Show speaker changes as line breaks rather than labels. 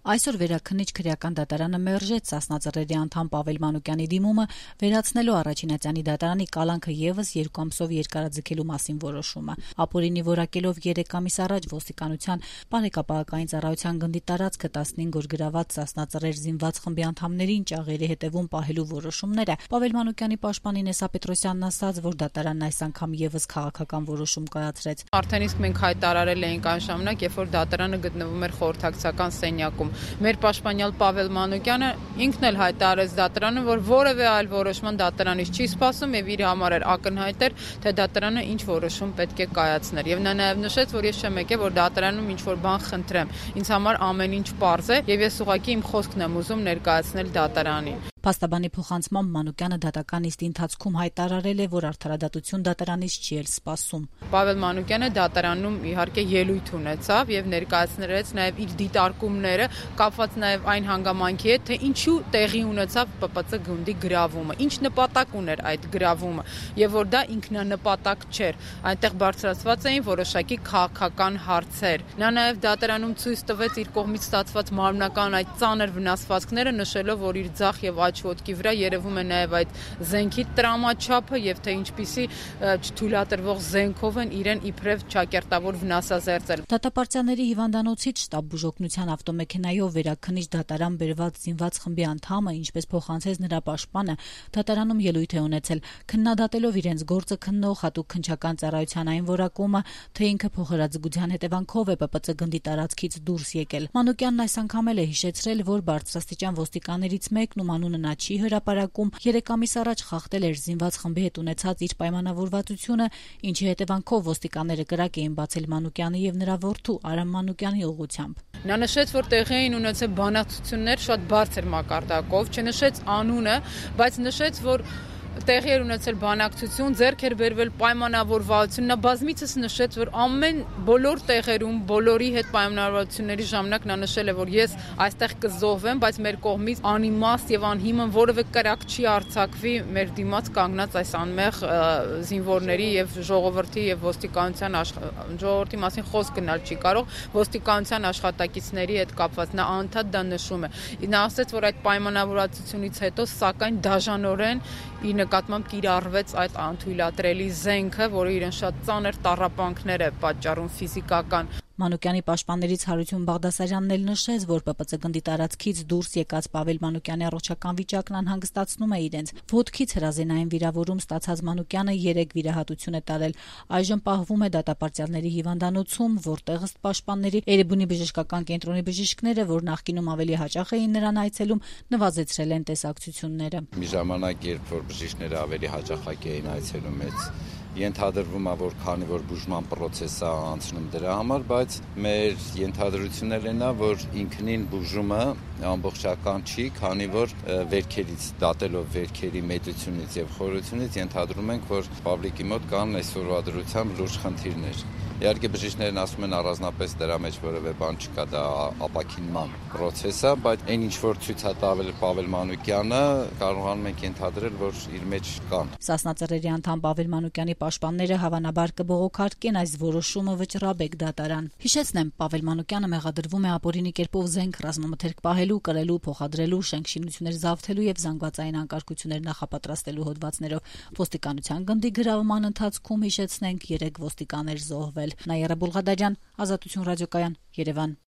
Այսօր վերաքննիչ քրեական դատարանը մերժեց Սասնա Ծռերի անդամ Պավել Մանուկյանի դիմումը վերացնելու Առաջինատյանի դատարանի կալանքը եւս 2 ամսով երկարաձգելու մասին որոշումը։ Ապօրինի որակելով 3 ամիս առաջ ոստիկանության Բարեկապահական ծառայության գնդի տարածքը 15 օր գրաված Սասնա Ծռեր զինված խմբի անդամներին ճաղերի հետևում պահելու որոշումները, Պավել Մանուկյանի պաշտպան Ինեսա Պետրոսյանն ասաց, որ դատարանն այս անգամ եւս քաղաքական որոշում կայացրեց։
Արդեն իսկ մենք հայտարարել էինք այն ժամանակ, երբ որ դատարանը գտնվում էր խորհրդակցական սենյակում։ Մեր պաշտպանյալ Պավել Մանուկյանը ինքն էլ հայտարարեց դատարանը, որ որևէ այլ որոշման դատարանից չի սպասում եւ իր համար էր ակնհայտ էր, թե դատարանը ինչ որոշում պետք է կայացներ։ Եվ նա նաեւ նշեց, որ ես չեմ եկել, որ դատարանում ինչ որ բան խնդրեմ։ Ինձ համար ամեն ինչ պարզ է եւ ես ուղղակի իմ խոսքն եմ ուզում ներկայացնել դատարանին։
Փաստաբանի փոխանցմամբ Մանուկյանը դատական նիստի ընթացքում հայտարարել է, որ արդարադատություն դատարանից չի էլ սպասում։
Պավել Մանուկյանը դատարանում իհարկե ելույթ ունեցավ եւ ներկայացրեց նաեւ իր դիտարկումները, կապված նաեւ այն հանգամանքի հետ, թե ինչու տեղի ունեցավ ՊՊՑ գնդի գրավումը, ինչ նպատակ ուներ այդ գրավումը եւ որ դա ինքնանպատակ չէր։ Այնտեղ բարձրացված էին որոշակի քաղաքական հարցեր։ Նա նաեւ դատարանում ցույց տվեց իր կողմից ստացված մարմնական այդ ծանր վնասվածքները, նշելով, որ իր ձախ եւ աջ ոտքի վրա երևում է նաեւ այդ զենքի տրամաչափը եւ թե ինչպիսի չթույլատրվող զենքով են իրեն իբրև ճակերտավոր վնասազերծել։
Դատապարտյալների հիվանդանոցից շտաբ բուժօգնության ավտոմեքենայով վերաքննիչ դատարան բերված զինված խմբի անդամը, ինչպես փոխանցեց նրա պաշտպանը, դատարանում ելույթ է ունեցել, քննադատելով իրենց գործը քննող հատուկ քննչական ծառայության այն որակումը, թե ինքը փոխհրաձգության հետևանքով է ՊՊՑ գնդի տարածքից դուրս եկել։ Մանուկյանն այս անգամ էլ է հիշեցրել, որ բարձրաստիճան ոստիկաններից մեկն, ում անունը նա չի հրապարակում, 3 ամիս առաջ խախտել էր զինված խմբի հետ ունեցած իր պայմանավորվածությունը, ինչի հետևանքով ոստիկանները կրակ էին բացել Մանուկյանի եւ նրա որդու Արամ Մանուկյանի ուղղությամբ։
Նա նշեց, որ տեղի էին ունեցել բանակցություններ շատ բարձր մակարդակով, չնշեց անունը, բայց նշեց, որ տեղի էր ունեցել բանակցություն, ձեռք էր բերվել պայմանավորվածություն։ Նա բազմիցս նշեց, որ բոլոր տեղերում, բոլորի հետ պայմանավորվածությունների ժամանակ նա նշել է, որ ես այստեղ կզոհվեմ, բայց մեր կողմից անիմաստ եւ անհիմն որևէ կրակ չի արձակվի մեր դիմաց կանգնած այս անմեղ զինվորների եւ ժողովրդի եւ ոստիկանության ժողովրդի մասին խոսք գնալ չի կարող, ոստիկանության աշխատակիցների հետ կապված նա անդադ դա նշում է։ Նա ասաց, որ այդ պայմանավորվածությունից հետո սակայն դաժանորեն ի նկատմամբ կիրառվեց այդ անթույլատրելի զենքը, որը իրեն շատ ծանր տառապանքներ է պատճառում ֆիզիկական։
Մանուկյանի պաշտպաններից Հարություն Բաղդասարյանն էլ նշեց, որ ՊՊՑ գնդի տարածքից դուրս եկած Պավել Մանուկյանի առողջական վիճակն անհանգստացնում է իրենց։ Ոտքից հրազենային վիրավորում ստացած Մանուկյանը 3 վիրահատություն է տարել։ Այժմ պահվում է դատապարտյալների հիվանդանոցում, որտեղ ըստ պաշտպանների Էրեբունի բժշկական կենտրոնի բժիշկները, որ նախկինում ավելի հաճախ էին նրան այցելում, նվազեցրել են տեսակցությունները։
Մի ժամանակ, երբ որ բժիշկները ավելի հաճախակ էին այցելում, ենթադրվում է, որ քանի որ բուժման process-ը անցնում դրա համար, բայց մեր ենթադրությունն է, որ ինքնին բուժումը ամբողջական չի, քանի որ վերքերից դատելով վերքերի մեծությունից եւ խորությունից ենթադրում ենք, որ պաբլիկի մոտ կան այսօրվա դրությամբ լուրջ խնդիրներ։ Իհարկե բժիշկներն ասում են առանձնապես դրա մեջ որևէ բան չկա, դա ապաքինման process է, բայց այն ինչ որ ցույց է տվել Պավել Մանուկյանը, կարողանում ենք ենթադրել, որ իր մեջ կան։
Սասնա Ծռերի անդամ Պավել Մանուկյանի պաշտպանները հավանաբար կբողոքարկեն այս որոշումը վճռաբեկ դատարան։ Հիշեցնեմ, Պավել Մանուկյանը մեղադրվում է ապօրինի կերպով զենք ռազմամթերք պահելու, կրելու, փոխադրելու, շենք-շինություններ զավթելու եւ զանգվածային անկարգություններ նախապատրաստելու հոդվածներով։ Ոստիկանության գնդի գրավման ընթացքում, հիշեցնենք, 3 ոստիկաներ զոհվել։ Նաիրա Բուլղադարյան, Ազատություն ռադիոկայան, Երևան։